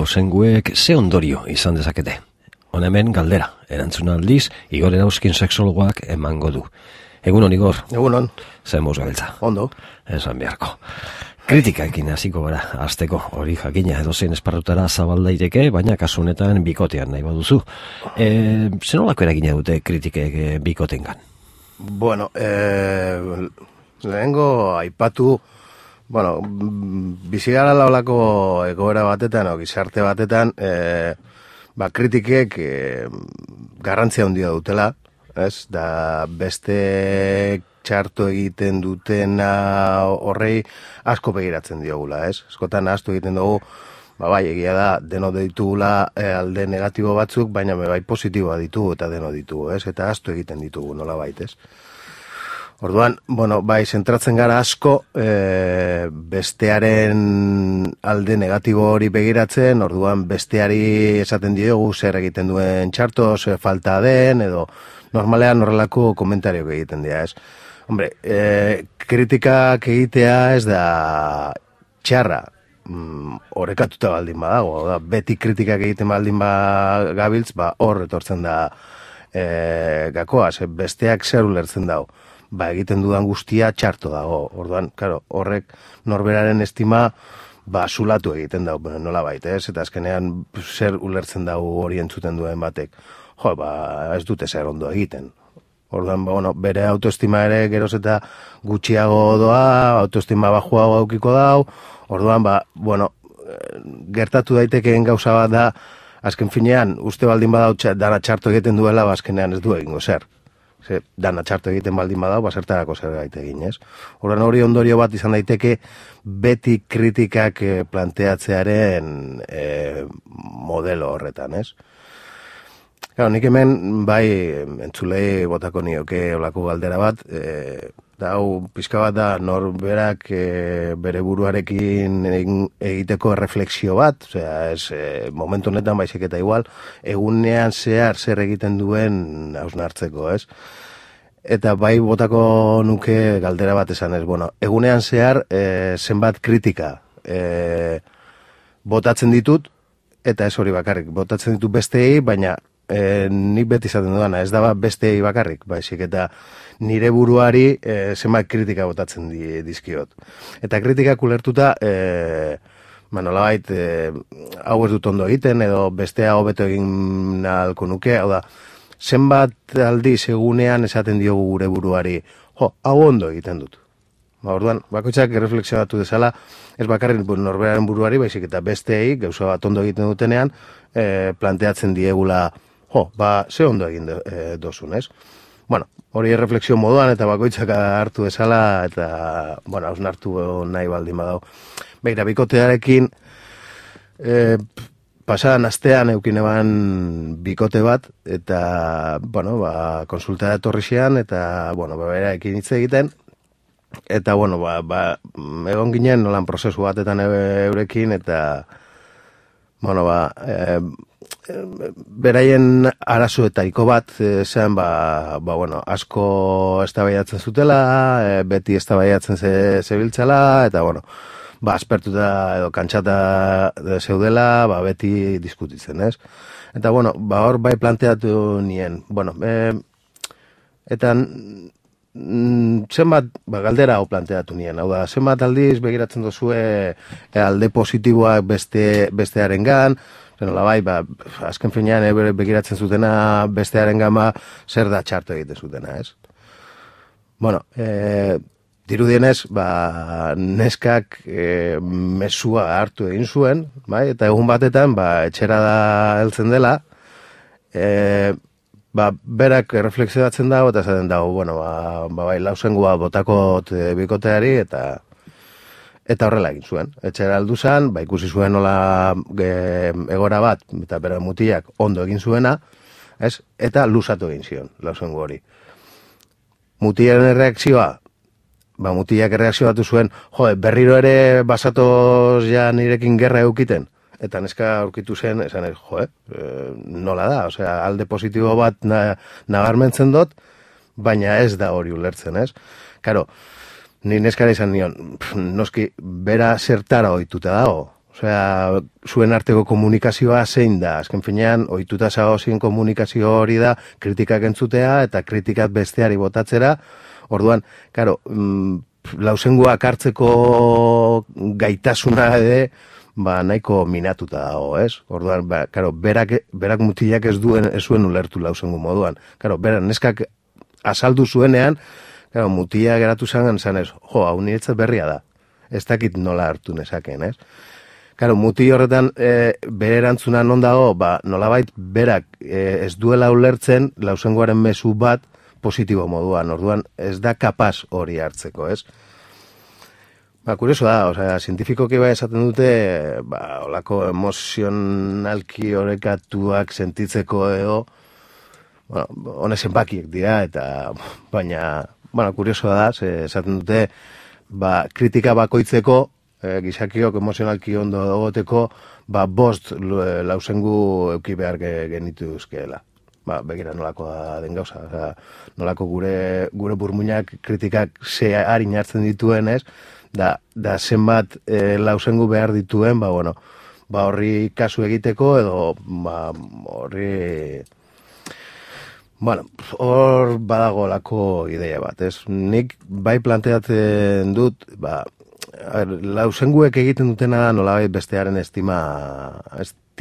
lausenguek ze ondorio izan dezakete. Hona hemen galdera, erantzuna aldiz, Igor Erauzkin sexologoak emango du. Egunon, Igor. Egunon. Zer moz gabiltza. Ondo. Esan beharko. Kritikaekin hasiko gara, hasteko hori jakina edozein esparrutara zabaldaiteke, baina kasu honetan bikotean nahi baduzu. Zenolako eragina dute kritikek bikotengan? Bueno, lehengo aipatu, bizigara laulako egoera batetan, gizarte batetan, kritikek garrantzia handia dutela, ez? Da beste txarto egiten dutena horrei asko begiratzen diogula, ez? Askotan ahaztu egiten dugu, egia da, deno ditugula alde negatibo batzuk, baina bai positiboa ditugu eta deno ditugu, ez? Eta ahaztu egiten ditugu, nola bait, ez? Orduan, zentratzen gara asko bestearen alde negatibo hori begiratzen, orduan besteari esaten diogu zer egiten duen txarto, zer falta den, edo normalean horrelako komentariok egiten dira, ez? Hombre, kritikak egitea ez da txarra, orekatuta baldin badago, beti kritikak egiten baldin gabiltz, hor etortzen da gakoa, besteak zer ulertzen dago. Egiten dudan guztia txarto dago. Orduan, horrek norberaren estima zulatu egiten dago, nola baita, ez? Eta azkenean zer ulertzen dago hori entzuten duen batek. Ez dute zer ondo egiten. Orduan, bere autoestima ere geroz eta gutxiago doa, autoestima bajuago aukiko dau. Orduan, gertatu daitekeen gauza bat da, azken finean, uste baldin badau dana txarto egiten duela, azkenean ez du egingo zer. Dana txarto egiten baldin badau, zertarako zer gaite egin, ez? Horren hori ondorio bat izan daiteke beti kritikak planteatzearen modelo horretan, ez? Nik hemen, entzulei botako nioke olako galdera bat, hau pizka bat da norberak bere buruarekin egiteko refleksio bat, momentu honetan baizik eta igual, egunean zehar zer egiten duen hausnartzeko, ez? Eta botako nuke galdera bat esan ez, egunean zehar zenbat kritika botatzen ditut, eta ez hori bakarrik, botatzen ditut besteei, baina nik beti izaten duana, ez da besteei bakarrik, baizik eta nire buruari zenbat kritika botatzen dizkiot. Eta kritikak ulertuta, nolabait, hau ez dut ondo egiten, edo bestea hobeto egin nahiko nuke, hau da, zenbat aldiz egunean esaten diogu gure buruari, hau ondo egiten dut. Orduan, bakoitzak reflexionatu dezala, ez bakarrik norberaren buruari, baizik eta besteei, gauza bat ondo egiten dutenean, planteatzen diegula, ze ondo egin dozun, ez? Hori refleksio moduan eta bakoitzak hartu dezala eta, hausnartu nahi baldin badau. Begira, bikotearekin, pasadan astean eukin eban bikote bat, eta, konsulta etorri zian, eta, berarekin hitz egiten, eta, egon ginen nolan prozesu batetan eurekin, eta, beraien arazoetariko bat, zean, asko eztabaidatzen zutela, beti eztabaidatzen zebiltzala, eta, aspertuta edo kantxata zeudela, beti diskutitzen, ez? Eta, hor bai planteatu nien, eta zenbat galdera hau planteatu nien, hau da, zenbat aldiz begiratzen duzue alde positiboak bestearen gan, azken finean begiratzen zutena bestearen gama zer da txarto egiten zutena, ez? Dirudienez, neskak mesua hartu egin zuen, eta egun batetan, etxera da heltzen dela, berak reflexionatzen dago, eta zaten dago, lausengua botakot bikoteari, eta horrela egin zuen. Etxera aldu zen, ikusi zuen nola egora bat, eta bere mutilak ondo egin zuena, eta luzatu egin zion, lausengu hori. Mutilaren reakzioa, mutilak erreakzioatu zuen, berriro ere basatoz ja nirekin gerra eukiten, eta neska aurkitu zen, esan ez, nola da, alde positibo bat nabarmentzen dut, baina ez da hori ulertzen, ez? Karo, ni neskara izan nion, noski, bera zertara ohituta dago, Osea, zuen arteko komunikazioa zein da. Azken finean, ohituta zagozien komunikazio hori da, kritikak entzutea eta kritikak besteari botatzera. Orduan, karo, lausenguak hartzeko gaitasuna ere, nahiko minatuta dago, ez? Orduan, karo, berak mutilak ez zuen ulertu lausengu moduan. Karo, berak neskak azaldu zuenean, karo, mutilak geratu zangan zanez, hau niretzat berria da. Ez dakit nola hartu nezaken, ez? Karo, muti horretan bere erantzuna non dago, nolabait berak ez duela ulertzen lausengoaren mezu bat positibo moduan, orduan ez da kapaz hori hartzeko, ez? Kurioso da, osea, zientifikoki bai esaten dute, olako emozionalki orekatuak sentitzeko edo, honezen bakiek dira, eta, baina, kurioso da, esaten dute, kritika bakoitzeko, gizakiok emozionalki ondo egoteko, bost lausengu euki behar genitu euskeela. Begira nolako den gauza. Nolako gure burmuinak kritikak ze harin hartzen dituen, ez? Da zenbat lausengu behar dituen, horri kasu egiteko, edo horri... hor badago lako ideia bat, ez? Nik bai planteatzen dut, lausenguek egiten dutena nolabait bestearen estima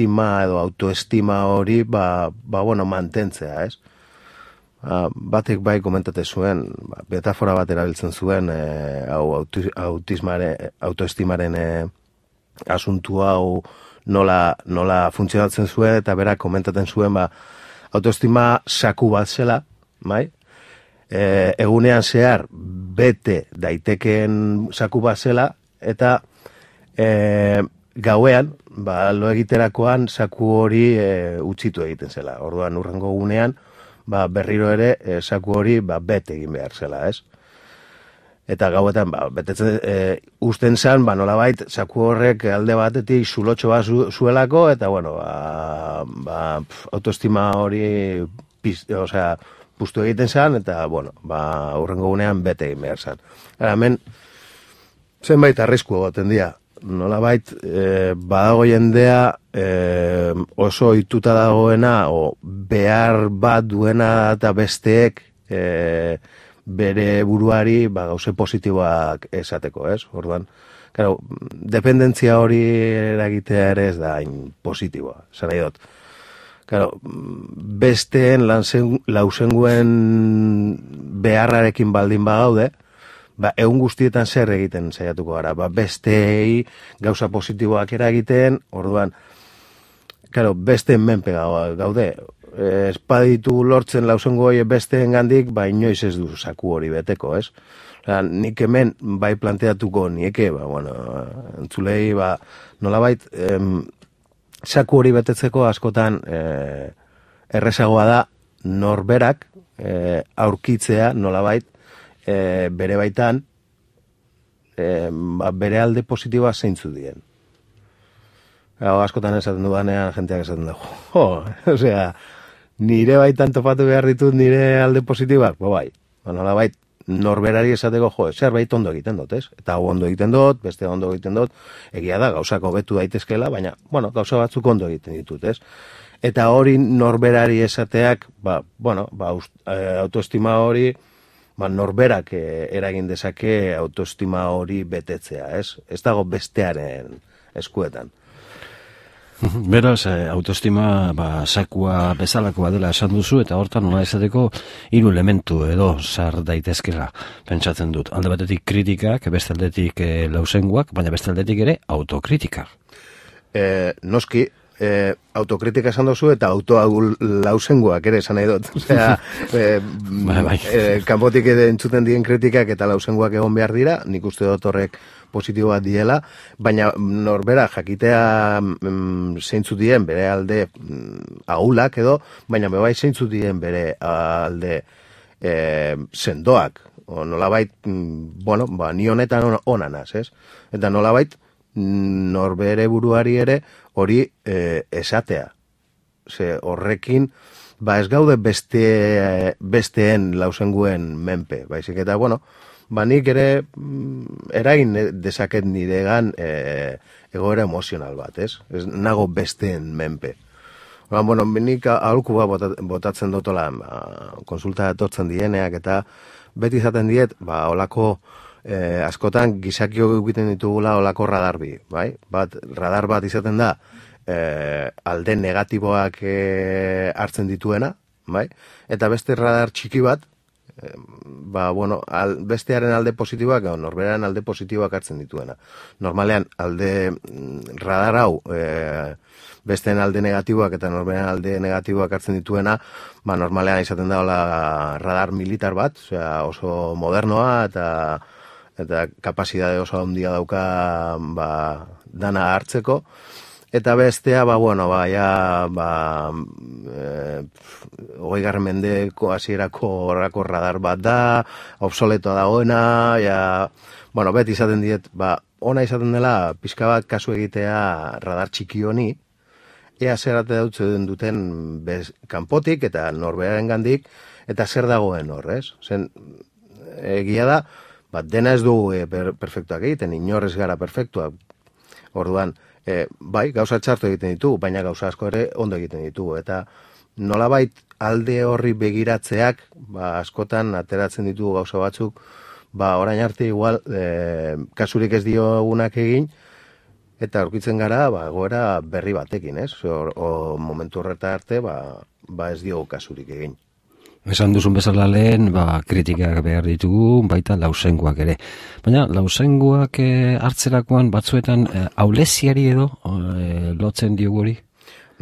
edo autoestima hori, mantentzea, ez? Batek bai komentate zuen, metafora bat erabiltzen zuen, autoestimaren asuntu hau nola funtzionatzen zuen, eta berak komentaten zuen, autoestima saku bat zela, bai? Egunean zehar bete daitekeen saku bat zela, eta gauean, lo egiterakoan saku hori utzitu egiten zela. Orduan urrengo egunean, berriro ere saku hori bete egin behar zela, ez? Eta gauetan, betetzen usten zan, nolabait, saku horrek alde batetik zulotxo bat zuelako, eta, autoestima hori, pustu egiten zan, eta, urrengo gunean bete egin behar zan. Hemen, zenbait arrisku egoten dira. Nolabait, badago jendea oso ohituta dagoena, o behar bat duena eta besteek bere buruari gauze positiboak esateko, ez? Orduan, claro, dependentzia hori eragitea ere ez da hain positiboa, zara idot. Claro, besteen lausenguen beharrarekin baldin bagaude, egun guztietan zer egiten saiatuko gara, besteei gauza positiboak eragiten, orduan, claro, besteen menpe gaude, espaditu lortzen lausengo hori besteen gandik, inoiz ez du saku hori beteko, ez? Nik hemen bai planteatuko nieke, entzulei, nolabait, saku hori betetzeko askotan errezagoa da norberak aurkitzea nolabait bere baitan bere alde positiboa zeintzu dien. Askotan esaten dudanean jenteak esaten dugu. Osea, nire baitan topatu behar ditut nire alde positiboak? Bai, nolabait norberari esateko, zerbait ondo egiten dut, ez? Eta hau ondo egiten dut, beste ondo egiten dut, egia da, gauzak hobetu daitezkeela, baina, gauza batzuk ondo egiten ditut, ez? Eta hori norberari esateak, autoestima hori, norberak eragin dezake autoestima hori betetzea, ez? Ez dago bestearen eskuetan. Beraz, autoestima sakua bezalakoa dela esan duzu, eta hortan nola esateko 3 elementu edo sar daitezkela pentsatzen dut. Alde batetik kritikak, beste aldetik lausenguak, baina beste aldetik ere autokritika. Noski, autokritika esan duzu eta lausenguak ere esan nahi dut. Osea, kanpotik entzuten dien kritikak eta lausenguak egon behar dira, nik uste dut horrek positiboa diela, baina norbera jakitea zeintzu dien bere alde ahulak edo, baina bebai zeintzu dien bere alde sendoak. Nolabait, ni honetan onanaz, ez? Eta nolabait, norbere buruari ere hori esatea. Ze horrekin, ez gaude besteen lausenguen menpe, baizik eta, nik ere eragin dezaket niregan egoera emozional bat, ez? Ez nago besteen menpe. Bueno, nik aholku botatzen dotola konsulta etortzen dieneak eta beti izaten diet, olako askotan gizakio egiten ditugula olako radarbi, bai? Radar bat izaten da alde negatiboak hartzen dituena, bai? Eta beste radar txiki bat, bestearen alde positiboak, norberaren alde positiboak hartzen dituena. Normalean, radar hau, besteen alde negatiboak eta norberaren alde negatiboak hartzen dituena, normalean izaten da radar militar bat, oso modernoa eta kapazitate oso handia dauka dana hartzeko. Eta bestea, 20. mendeko hasierako horrako radar bat da, obsoletoa dagoena, beti izaten diet, ona izaten dela, pixka bat kasu egitea radar txiki honi, ea zer ate duten kanpotik eta norberaren gandik, eta zer dagoen hor, ez? Zen, egia da, dena ez dugu perfektuak egiten, inorrez gara perfektuak, orduan, gauza txarto egiten ditugu, baina gauza asko ere ondo egiten ditugu, eta nolabait alde horri begiratzeak, askotan ateratzen ditugu gauza batzuk, orain arte igual, kasurik ez diogunak egin, eta aurkitzen gara, egoera berri batekin, ez? O momentu horreta arte, ez diogu kasurik egin. Esan duzun bezala lehen, kritikak behar ditugu, baita lausenguak ere. Baina lausenguak hartzerakoan batzuetan aulesiari edo lotzen diogu hori?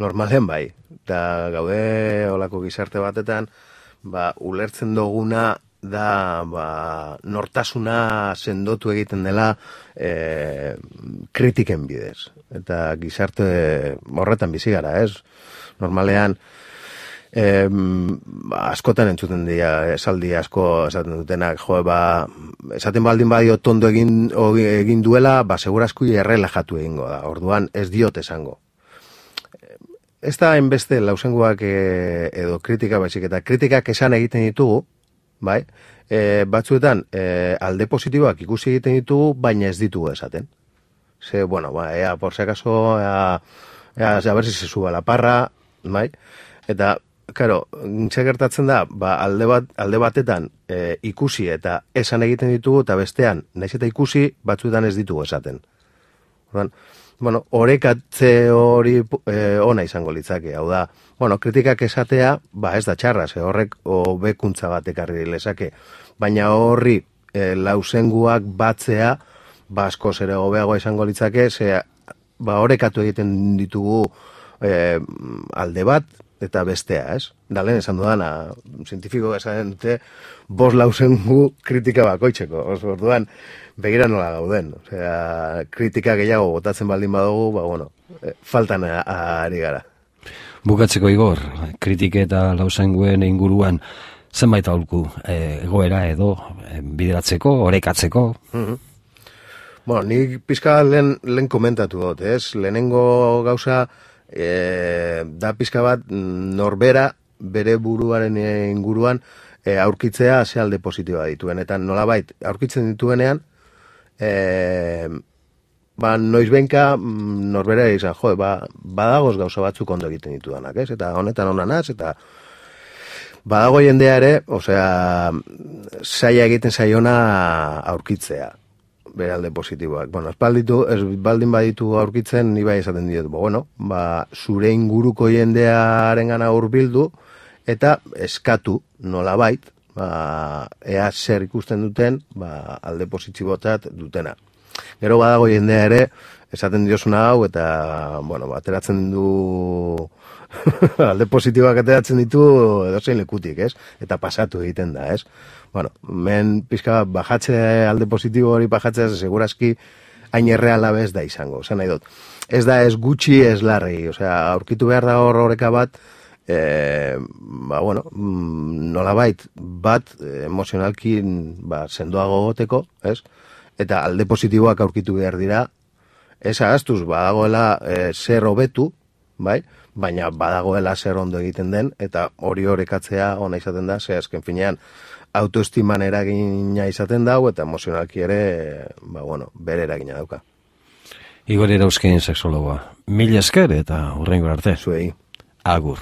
Normalen bai. Eta gaude olako gizarte batetan, ulertzen duguna da nortasuna sendotu egiten dela kritiken bidez. Eta gizarte horretan bizi gara, ez? Normalean, askotan entzuten dira esaldi asko esaten dutenak, esaten baldin badio tondo egin duela, segurazko errelajatu egingo da, orduan ez diot esango. Ez da hainbeste lausenguak edo kritika baizik, eta kritikak esan egiten ditugu, bai, batzuetan alde positiboak ikusi egiten ditugu, baina ez ditugu esaten. Ze, por si acaso, a ver si se suba la parra, bai, eta claro, zer gertatzen da, alde batetan ikusi eta esan egiten ditugu, eta bestean, naiz eta ikusi, batzuetan ez ditugu esaten. Orekatze hori ona izango litzake, hau da, kritikak esatea, ez da txarra, horrek hobekuntza bat ekarri lezake, baina horri lausenguak batzea, askoz ere hobeagoa izango litzake, orekatu egiten ditugu alde bat, eta bestea, ez? Dalen esan dudana, zientifiko esan dute, 5 lausengu kritika bakoitzeko. Orduan, begira nola gauden. Kritika gehiago botatzen baldin badugu, faltan ari gara. Bukatzeko Igor, kritike eta lausenguen inguruan zenbait aholku egoera edo bideratzeko, orekatzeko? Nik pizka lehen komentatu dut, ez? Lehenengo gauza, da pizka bat norbera bere buruaren inguruan aurkitzea ze alde positiboa dituen, eta nolabait aurkitzen dituenean noizbenka norbera izan, badagoz gauza batzuk ondo egiten ditudanak, ez? Eta honetan onanaz, eta badago jendea ere, zaila egiten zaiona aurkitzea bere alde positiboak. Ez baldin baditu aurkitzen, ni bai esaten diot, zure inguruko jendearen gana hurbildu, eta eskatu nolabait, ea zer ikusten duten, alde positibotat dutena. Gero badago jendea ere, esaten diosuna hau, eta, ateratzen du, alde positiboak ateratzen ditu edozein lekutik, ez? Eta pasatu egiten da, ez? Men pizka bajatze alde positibo hori bajatzea segurazki hain erreala bez da izango, nahi dut. Ez da ez gutxi ez larri, aurkitu behar da horreka bat, nolabait bat emozionalki sendoago goteko, ez? Eta alde positiboak aurkitu behar dira, ez ahaztuz badagoela zer hobetu, bai? Baina badagoela zer ondo egiten den, eta hori orekatzea ona izaten da, azken finean, autoestiman eragina izaten dau, eta emozionalki ere, bere eragina dauka. Igor Erauzkin sexologoa. Mila esker eta hurrengo arte. Zuei. Agur.